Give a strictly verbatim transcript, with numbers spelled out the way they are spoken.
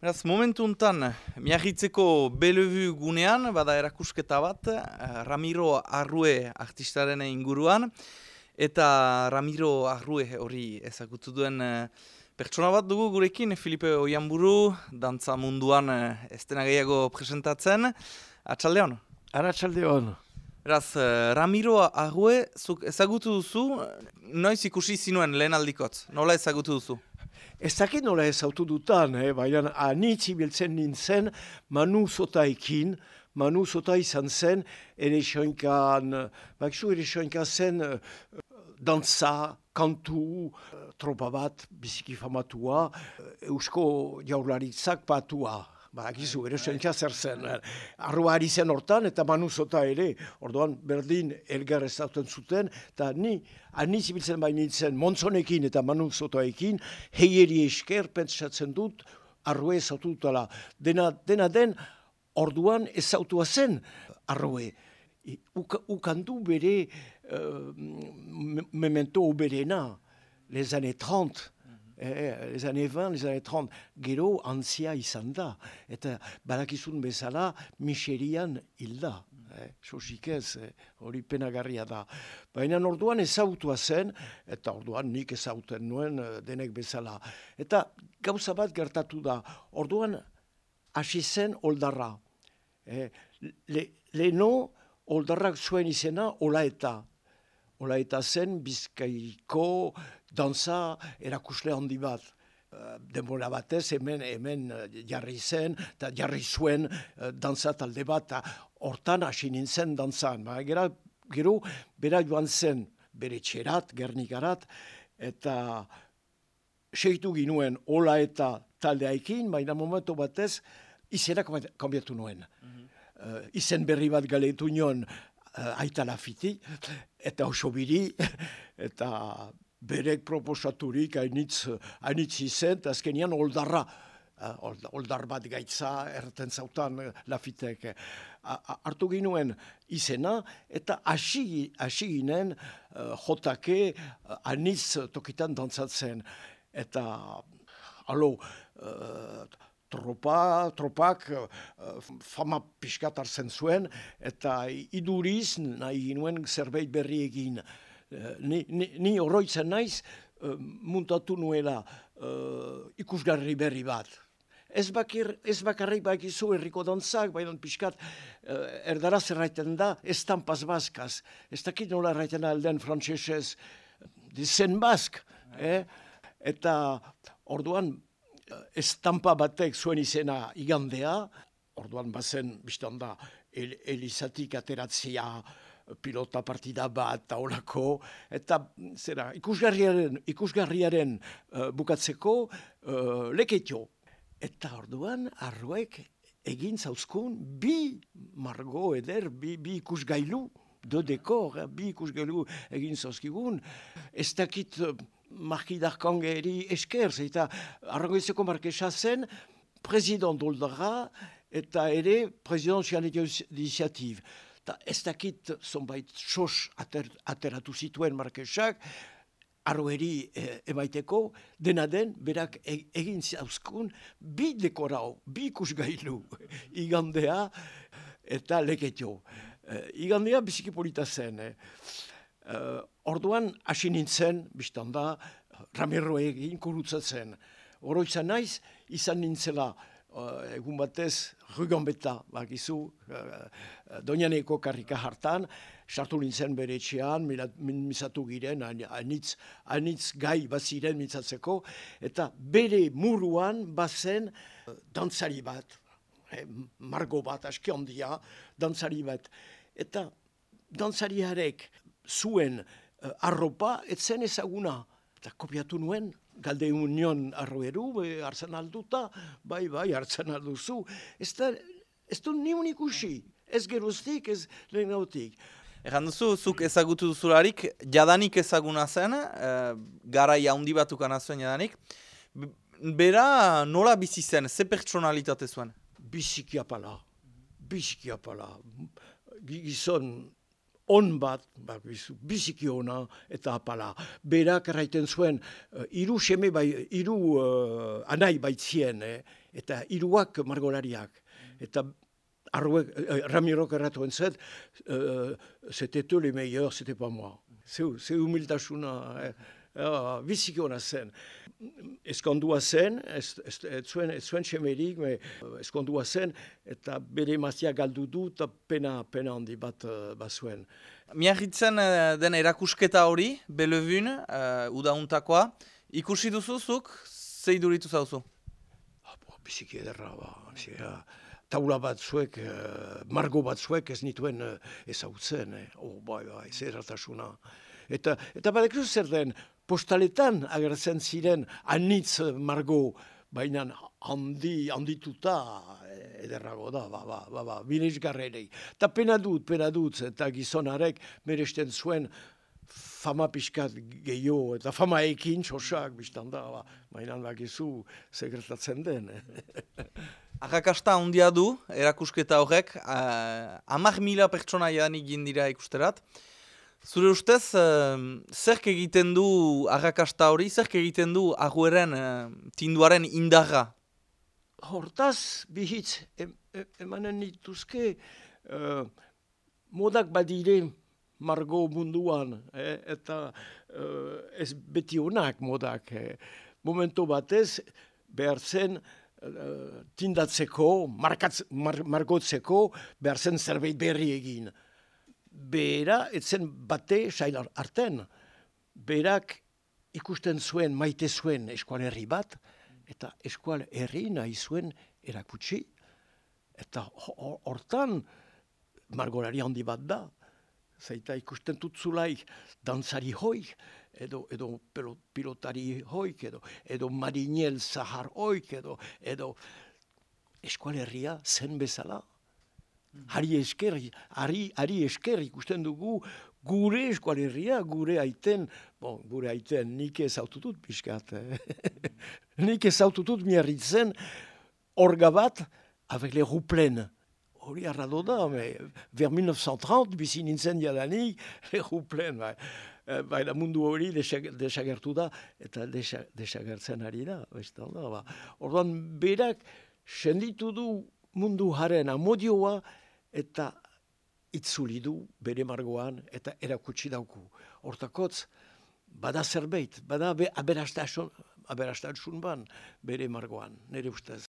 Beraz, momentu untan, Miarritzeko Bellevue gunean, bada erakusketa bat, Ramiro Arrue artistaren inguruan, eta Ramiro Arrue hori ezagutu duen pertsona bat dugu gurekin, Filipe Oianburu, dantza munduan ez dena gehiago presentatzen. Atxaldeon? Arratsaldeon. Beraz, Ramiro Arrue, zuk ezagutu duzu, noiz ikusi zinuen lehen aldikotz, nola ezagutu duzu? Ez dakit nola ezautu dutan, eh? Baina anitz ibiltzen nintzen Manu Zotaekin, Manu Zota izan zen, ere soinkan, bakizu ere soinkan zen uh, dantza, kantu, uh, tropa bat, biziki famatua, uh, Eusko Jaurlaritzak patua. Bakizu, ere soinka zer zen. Arrua ari zen hortan, eta Manu Zota ere, orduan berdin elgar ezauten zuten, eta ni anitz ibiltzen bain nintzen Montzonekin eta Manu Zotaekin, heieri esker pentsatzen dut, Arrue ezautu dutala. Dena, dena den, orduan ezautua zen Arrue. Ukandu bere uh, memento berena, les années trente. Eh, les années vingt, les années trente, gero antzia izan da. Eta badakizun bezala, miserian hilda. Eh, Sosik ez, eh, hori penagarria da. Baina orduan ezautua zen, eta orduan nik ezauten nuen denek bezala. Eta gauza bat gertatu da, orduan hasi zen oldarra. Eh, le, Leno oldarrak zuen izena Olaeta. Olaeta zen Bizkaiko dantza erakusle handi bat. Denbora batez hemen hemen jarri zen, eta jarri zuen dantza talde bat, hortan hasi nintzen dantzan. Ba, gero, gero bera joan zen bere txerat, Gernikarat, eta segitu ginuen Olaeta taldeaikin, baina momentu batez izena kanbiatu nuen. Mm-hmm. uh, izen berri bat galetu nion, Uh, aita lafiti, eta osobiri, eta berek proposaturik hainitz, hainitz izen, eta azkenian oldarra, uh, oldar bat gaitza erten zautan uh, lafitek. Uh, hartu ginuen izena, eta hasi ginen uh, jotake uh, hainitz tokitan dantzatzen. Eta, alo, uh, Tropa, tropak uh, fama pixkat hartzen zuen, eta iduriz nahi ginuen zerbait berri egin. Uh, ni, ni, ni oroitzen naiz uh, muntatu nuela uh, ikusgarri berri bat. Ez, bakir, ez bakarrik bakizu herriko dantzak, baina pixkat uh, erdaraz erraiten da, estampaz baskaz. Ez dakit nola erraiten alden frantsesez, dizen bask. Eh? Eta orduan, estampa batek zuen izena igandea, orduan bazen, biztan da, el, elizatik ateratzea, pilota partida bat, taolako, eta zera, ikusgarriaren, ikusgarriaren uh, bukatzeko uh, leketio. Eta orduan, Arruek egin zauzkun bi margo eder, bi, bi ikusgailu, de dekor, eh, bi ikusgailu egin zauzkigun, ez dakit Markidarkangeri esker, eta Arrangoizeko markesa zen president oldarra eta ere presidential initiative. Ta ez dakit zonbait sos ater, ateratu zituen markesak, Arrueri e, emaiteko, dena den, berak e, egin zauzkun bi dekorau, bi ikusgailu, igandea eta leketio. E, igandea biziki polita zen, eh. Uh, orduan hasi nintzen, biztan da, Ramiro egin kurutzatzen. Oroitzan naiz, izan nintzela uh, egun batez, Ruganbeta, bakizu, uh, Doñaneko karrika hartan, sartu nintzen bere etxean, mintzatu giren, anitz, anitz gai baziren mintzatzeko, eta bere muruan bazen uh, dantzari bat, eh, margo bat, aski handia, dantzari bat. Eta dantzariarek zuen uh, arropa, etzen ezaguna. Eta kopiatu nuen, galde union arroeru, hartzen alduta, bai, bai, hartzen alduzu. Ez da, ez du niun ikusi, ez geroztik, ez lehen gautik. Egan duzu, zuk ezagutu duzularik, jadanik ezaguna zen, uh, gara jaundi batukana zuen jadanik. Bera nola bizi zen, ze pertsonalitate zuen? Biziki apala, biziki apala. Gizon, on bat, biziki ona eta apala. Berak erraiten zuen, uh, iru seme bai, iru uh, anai baitzien, eh? eta hiruak margolariak. Eta Arruek, eh, Ramirok erratu entzet, euh, c'était eux les meilleurs, c'était pas moi. Ze humiltasuna, eh, eh, biziki hona zen. Eskondua zen, ez, ez, ez zuen, ez zuen semerik, me, eskondua zen, eta bere emazia galdu du, eta pena, pena handi bat uh, bazuen. Miarritzen uh, den erakusketa hori, Bellevun, uh, udauntakoa, ikusi duzuzuk, zei duritu zauzu? Ah, bo, biziki ederra, ba, biziki, taula batzuek, uh, margo batzuek ez nituen uh, ezautzen, eh? Oh, bai, bai, zerratasuna. Eta, eta badekzu zer den, postaletan agertzen ziren anitz margo, baina handi, handituta ederrago da, ba, ba, ba, ba, binesgarrerei. Eta pena dut, pena dut, eta gizonarek meresten zuen fama pixkat gehiago, eta fama ekin txosak, biztan da, ba, baina bakizu segretatzen den. Arrakasta handia du, erakusketa horrek, uh, hamar mila pertsona jadanik dira ikusterat. Zure ustez, uh, zerk egiten du arrakasta hori, zerk egiten du Arrueren uh, tinduaren indarra? Hortaz, bihitz, em, emanen dituzke, uh, modak badire margo munduan, eh, eta uh, ez beti honak modak. Eh. Momento batez, behar zen, Uh, tindatzeko, markatz, mar, margotzeko, behar zen zerbait berri egin. Bera, etzen bate sail arten. Berak ikusten zuen, maite zuen eskualerri bat, eta eskualerri nahi zuen erakutsi. Eta hortan, margolari handi bat da. Zaita ikusten tutzulaik dantzari hoik, edo, edo pilotari hoik, edo, edo marinel zahar hoik, edo, edo eskualerria zen bezala. Hari esker, hari, hari esker ikusten dugu gure eskualerria, gure aiten, bon, gure aiten nik ez aututut pixkat. Eh? Nik ez aututut Miarritzen orga bat, avec les roues pleines. Hori arrado da, me, vers mille neuf cent trente, bizi nintzen jadanik, egu plen, bai. Baina mundu hori desagertu da, eta desagertzen ari da. da ba. Orduan, berak senditu du mundu haren amodioa, eta itzuli du bere margoan, eta erakutsi dauku. Hortakotz, bada zerbait, bada aberastasun ban bere margoan, nire ustez.